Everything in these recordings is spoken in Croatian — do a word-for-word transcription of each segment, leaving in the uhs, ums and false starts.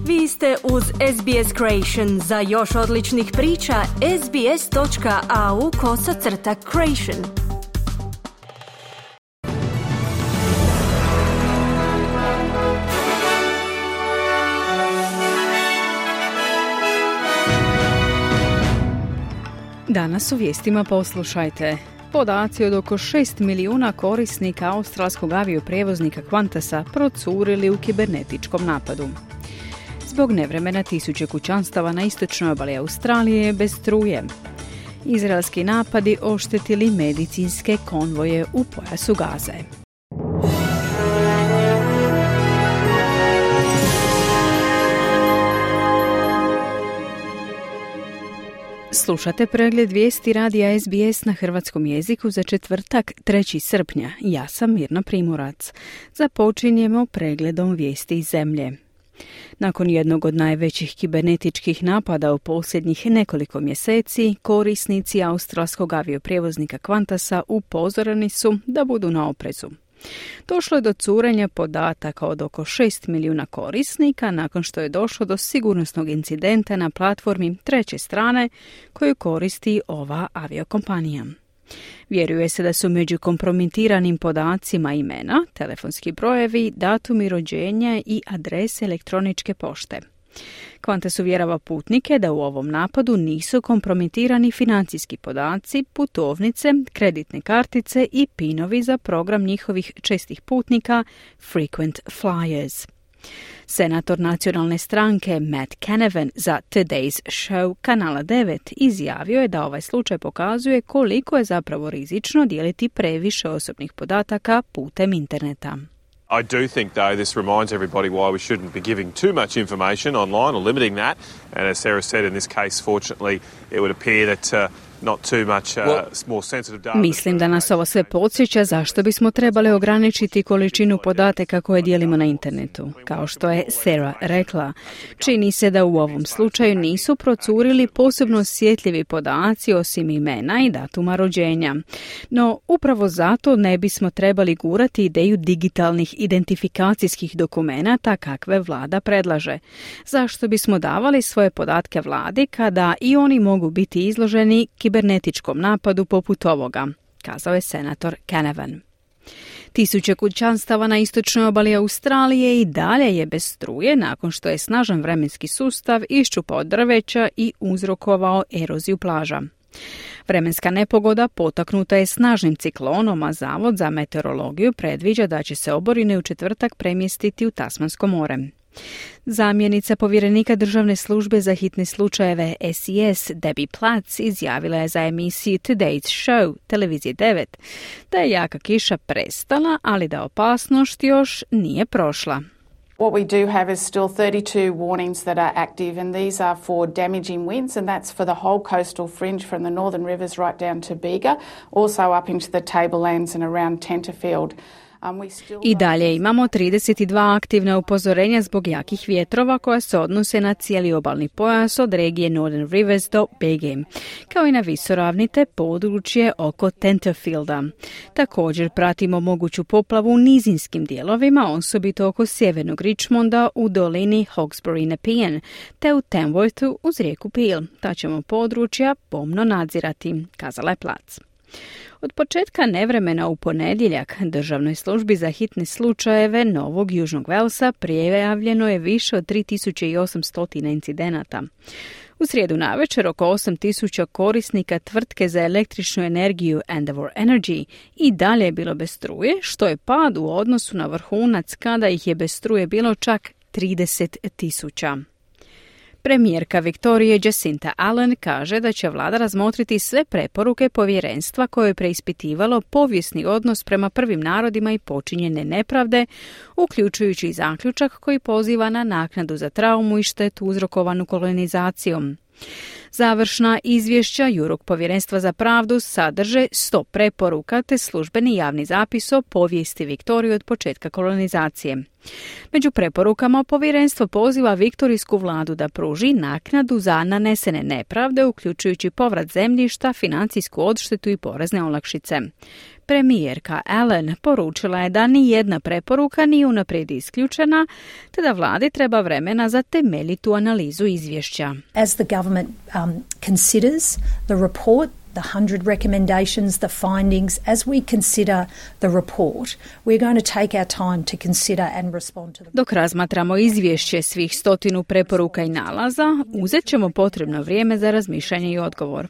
Vi ste uz S B S Creation. Za još odličnih priča, sbs.au kosacrta creation. Danas u vijestima poslušajte. Podaci od oko šest milijuna korisnika australskog avioprijevoznika Qantasa procurili u kibernetičkom napadu. Zbog nevremena tisuće kućanstava na istočnoj obali Australije bez struje. Izraelski napadi oštetili medicinske konvoje u pojasu Gaze. Slušate pregled vijesti radija S B S na hrvatskom jeziku za četvrtak, trećeg srpnja. Ja sam Mirna Primorac. Započinjemo pregledom vijesti iz zemlje. Nakon jednog od najvećih kibernetičkih napada u posljednjih nekoliko mjeseci, korisnici australskog avioprijevoznika Qantasa upozoreni su da budu na oprezu. Došlo je do curenja podataka od oko šest milijuna korisnika nakon što je došlo do sigurnosnog incidenta na platformi treće strane koju koristi ova aviokompanija. Vjeruje se da su među kompromitiranim podacima imena, telefonski brojevi, datumi rođenja i adrese elektroničke pošte. Qantas uvjerava putnike da u ovom napadu nisu kompromitirani financijski podaci, putovnice, kreditne kartice i pinovi za program njihovih čestih putnika Frequent Flyers. Senator nacionalne stranke Matt Canavan za Today's Show kanala devet izjavio je da ovaj slučaj pokazuje koliko je zapravo rizično dijeliti previše osobnih podataka putem interneta. I do think, though, this reminds everybody why we shouldn't be giving too much information online or limiting that. And as Sarah said, in this case, fortunately, it would appear that uh, not too much uh, more sensitive data. Mislim da nas ovo sve podsjeća zašto bismo trebali ograničiti količinu podataka koje dijelimo na internetu. Kao što je Sarah rekla, čini se da u ovom slučaju nisu procurili posebno osjetljivi podaci osim imena i datuma rođenja. No, upravo zato ne bismo trebali gurati ideju digitalnih identifikacijskih dokumenata kakve vlada predlaže. Zašto bismo davali svoje podatke vladi kada i oni mogu biti izloženi kibernetičkom napadu poput ovoga, kazao je senator Canavan. Tisuće kućanstava na istočnoj obali Australije i dalje je bez struje nakon što je snažan vremenski sustav iščupao drveća i uzrokovao eroziju plaža. Vremenska nepogoda potaknuta je snažnim ciklonom, a Zavod za meteorologiju predviđa da će se oborine u četvrtak premjestiti u Tasmansko more. Zamjenica povjerenika državne službe za hitne slučajeve S E S Debbie Platts izjavila je za emisiju Today's Show televizije devet da je jaka kiša prestala, ali da opasnost još nije prošla. What we do have is still thirty-two warnings that are active, and these are for damaging winds, and that's for the whole coastal fringe from the northern rivers right down to Bega, also up into the tablelands and around Tenterfield. I dalje imamo trideset dva aktivna upozorenja zbog jakih vjetrova koja se odnose na cijeli obalni pojas od regije Northern Rivers do Bege, kao i na visoravnite područje oko Tenterfielda. Također pratimo moguću poplavu u nizinskim dijelovima, osobito oko sjevernog Richmonda u dolini Hawkesbury-Nepean, te u Tamworthu uz rijeku Peel. Ta ćemo područja pomno nadzirati, kazala je Plac. Od početka nevremena u ponedjeljak Državnoj službi za hitne slučajeve Novog Južnog Velsa prijavljeno je više od tri tisuće osamsto incidenata. U srijedu navečer oko osam tisuća korisnika tvrtke za električnu energiju Endeavour Energy i dalje je bilo bez struje, što je pad u odnosu na vrhunac kada ih je bez struje bilo čak trideset tisuća. Premijerka Viktorije Jacinta Allen kaže da će vlada razmotriti sve preporuke povjerenstva koje je preispitivalo povijesni odnos prema prvim narodima i počinjene nepravde, uključujući i zaključak koji poziva na naknadu za traumu i štetu uzrokovanu kolonizacijom. Završna izvješća Jurok povjerenstva za pravdu sadrže sto preporuka te službeni javni zapis o povijesti Viktorije od početka kolonizacije. Među preporukama povjerenstvo poziva viktorijsku vladu da pruži naknadu za nanesene nepravde, uključujući povrat zemljišta, financijsku odštetu i porezne olakšice. premijerka Allen poručila je da ni jedna preporuka nije unaprijed isključena, te da vladi treba vremena za temeljitu analizu izvješća. As the government um, considers the report, the one hundred recommendations, the findings, as we consider the report, we're going to take our time to consider and respond to them. Dok razmatramo izvješće svih stotinu preporuka i nalaza, uzet ćemo potrebno vrijeme za razmišljanje i odgovor.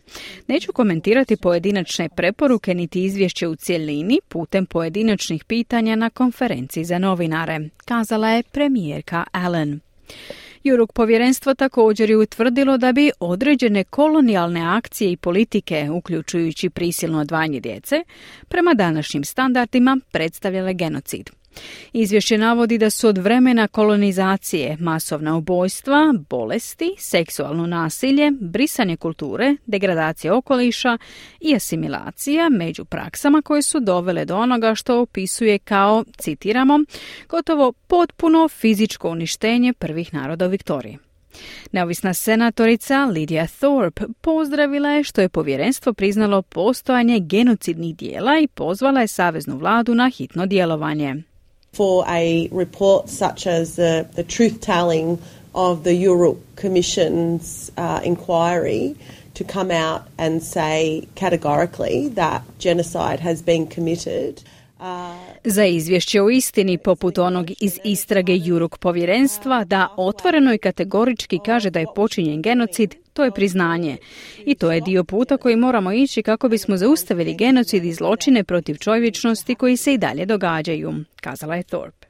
Neću komentirati pojedinačne preporuke niti izvješće u cjelini putem pojedinačnih pitanja na konferenciji za novinare, kazala je premijerka Allen. Juruk povjerenstvo također je utvrdilo da bi određene kolonijalne akcije i politike, uključujući prisilno odvajanje djece, prema današnjim standardima predstavljale genocid. Izvješće navodi da su od vremena kolonizacije masovna ubojstva, bolesti, seksualno nasilje, brisanje kulture, degradacija okoliša i asimilacija među praksama koje su dovele do onoga što opisuje kao, citiramo, gotovo potpuno fizičko uništenje prvih naroda u Viktoriji. Neovisna senatorica Lydia Thorpe pozdravila je što je povjerenstvo priznalo postojanje genocidnih dijela i pozvala je saveznu vladu na hitno djelovanje. For a report such as the, the truth-telling of the Juruk Commission's uh, inquiry to come out and say categorically that genocide has been committed. Uh, Za izvješće o istini poput onog iz istrage Juruk povjerenstva da otvoreno i kategorički kaže da je počinjen genocid, to je priznanje. I to je dio puta koji moramo ići kako bismo zaustavili genocid i zločine protiv čovječnosti koji se i dalje događaju, kazala je Thorpe.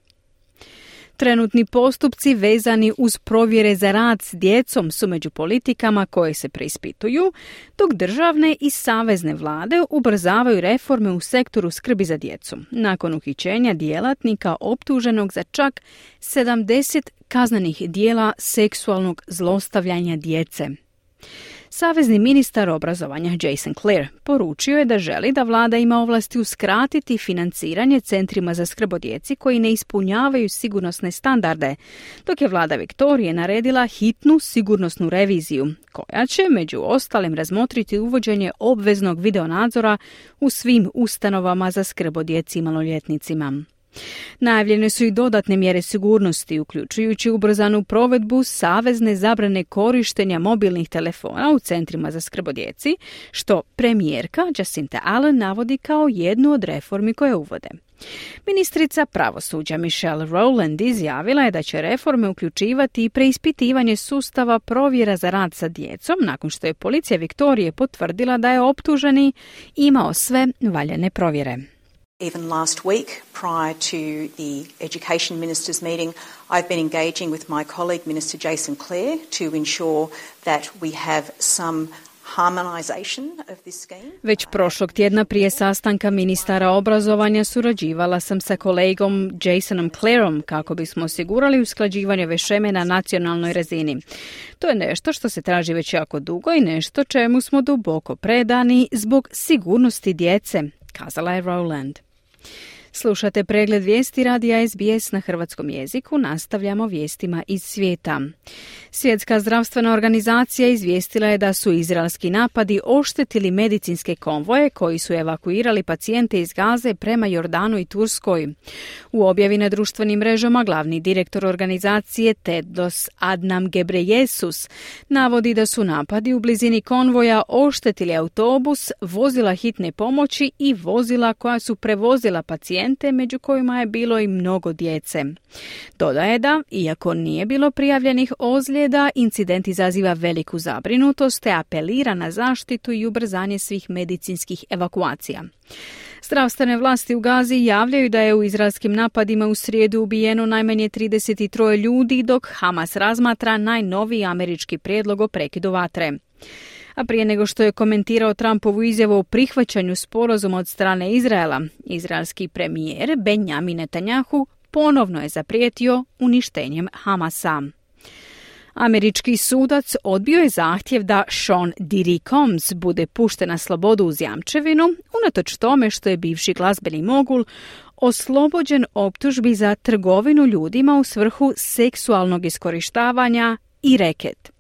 Trenutni postupci vezani uz provjere za rad s djecom su među politikama koje se preispituju, dok državne i savezne vlade ubrzavaju reforme u sektoru skrbi za djecu, nakon uhićenja djelatnika optuženog za čak sedamdeset kaznenih dijela seksualnog zlostavljanja djece. Savezni ministar obrazovanja Jason Clare poručio je da želi da vlada ima ovlasti uskratiti financiranje centrima za skrb o djeci koji ne ispunjavaju sigurnosne standarde, dok je vlada Viktorije naredila hitnu sigurnosnu reviziju, koja će među ostalim razmotriti uvođenje obveznog videonadzora u svim ustanovama za skrb o djeci i maloljetnicima. Najavljene su i dodatne mjere sigurnosti, uključujući ubrzanu provedbu savezne zabrane korištenja mobilnih telefona u centrima za skrb o djeci, što premijerka Jacinta Allen navodi kao jednu od reformi koje uvode. Ministrica pravosuđa Michelle Rowland izjavila je da će reforme uključivati i preispitivanje sustava provjera za rad sa djecom nakon što je policija Viktorije potvrdila da je optuženi imao sve valjane provjere. Even last week, prior to the Education Ministers' meeting, I've been engaging with my colleague, Minister Jason Clare, to ensure that we have some harmonization of this scheme. Već prošlog tjedna prije sastanka ministara obrazovanja surađivala sam sa kolegom Jasonom Clareom kako bismo osigurali usklađivanje ove šeme na nacionalnoj razini. To je nešto što se traži već jako dugo i nešto čemu smo duboko predani zbog sigurnosti djece, kazala je Rowland. Slušate pregled vijesti radija S B S na hrvatskom jeziku, nastavljamo vijestima iz svijeta. Svjetska zdravstvena organizacija izvijestila je da su izraelski napadi oštetili medicinske konvoje koji su evakuirali pacijente iz Gaze prema Jordanu i Turskoj. U objavi na društvenim mrežama glavni direktor organizacije Tedros Adhanom Ghebreyesus navodi da su napadi u blizini konvoja oštetili autobus, vozila hitne pomoći i vozila koja su prevozila pacijente, među kojima je bilo i mnogo djece. Dodaje da, iako nije bilo prijavljenih ozljeda, incident izaziva veliku zabrinutost te apelira na zaštitu i ubrzanje svih medicinskih evakuacija. Zdravstvene vlasti u Gazi javljaju da je u izraelskim napadima u srijedu ubijeno najmanje trideset tri ljudi, dok Hamas razmatra najnoviji američki prijedlog o prekidu vatre. A prije nego što je komentirao Trumpovu izjavu o prihvaćanju sporazuma od strane Izraela, izraelski premijer Benjamin Netanyahu ponovno je zaprijetio uništenjem Hamasa. Američki sudac odbio je zahtjev da Sean Diddy Combs bude pušten na slobodu uz jamčevinu, unatoč tome što je bivši glazbeni mogul oslobođen optužbi za trgovinu ljudima u svrhu seksualnog iskorištavanja i reket.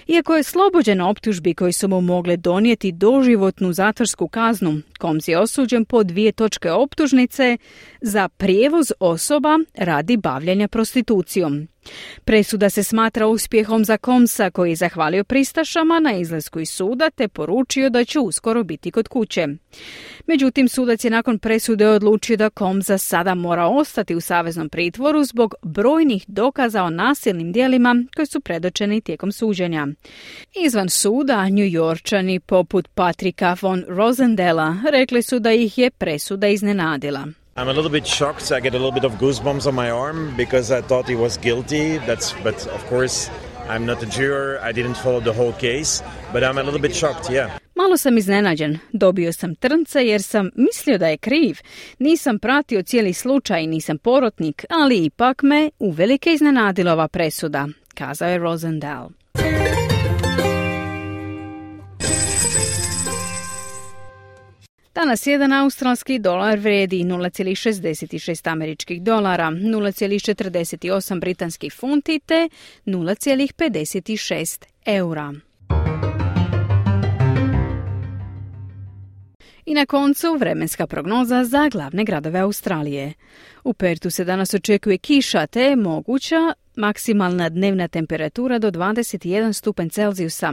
Iako je slobođen optužbi koji su mu mogle donijeti doživotnu zatvorsku kaznu, Combs je osuđen po dvije točke optužnice za prijevoz osoba radi bavljenja prostitucijom. Presuda se smatra uspjehom za Combsa, koji je zahvalio pristašama na izlasku iz suda te poručio da će uskoro biti kod kuće. Međutim, sudac je nakon presude odlučio da Combsa sada mora ostati u saveznom pritvoru zbog brojnih dokaza o nasilnim djelima koji su predočeni tijekom suđenja. Izvan suda, New Yorkčani poput Patricka von Rosendela rekli su da ih je presuda iznenadila. I'm a little bit shocked. I get a little bit of goosebumps on my arm because I thought he was guilty. That's, but of course, I'm not a juror. I didn't follow the whole case, but I'm a little bit shocked, yeah. Malo sam iznenađen. Dobio sam trnce jer sam mislio da je kriv. Nisam pratio cijeli slučaj, nisam porotnik, ali ipak me uvelike iznenadila ova presuda, kazao je Rosendal. Danas jedan australski dolar vrijedi nula zarez šezdeset šest američkih dolara, nula zarez četrdeset osam britanskih funti te nula zarez pedeset šest eura. I na koncu vremenska prognoza za glavne gradove Australije. U Pertu se danas očekuje kiša te moguća maksimalna dnevna temperatura do dvadeset jedan stupanj Celzijusa.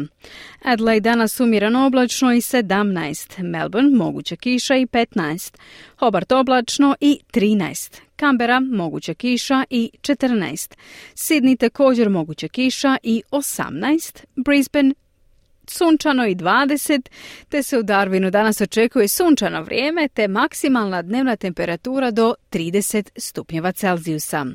Adelaide danas umjereno oblačno i sedamnaest, Melbourne moguća kiša i petnaest, Hobart oblačno i trinaest, Canberra moguća kiša i četrnaest, Sydney također moguća kiša i osamnaest, Brisbane sunčano i dvadeset, te se u Darwinu danas očekuje sunčano vrijeme te maksimalna dnevna temperatura do trideset stupnjeva Celzijusa.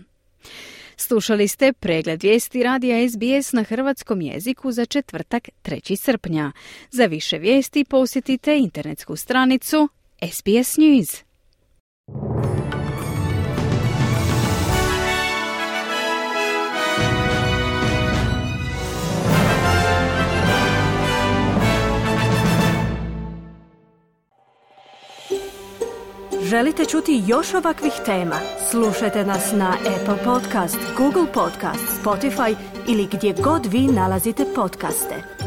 Slušali ste pregled vijesti radija S B S na hrvatskom jeziku za četvrtak trećeg srpnja. Za više vijesti posjetite internetsku stranicu S B S News. Želite čuti još ovakvih tema? Slušajte nas na Apple Podcast, Google Podcast, Spotify ili gdje god vi nalazite podcaste.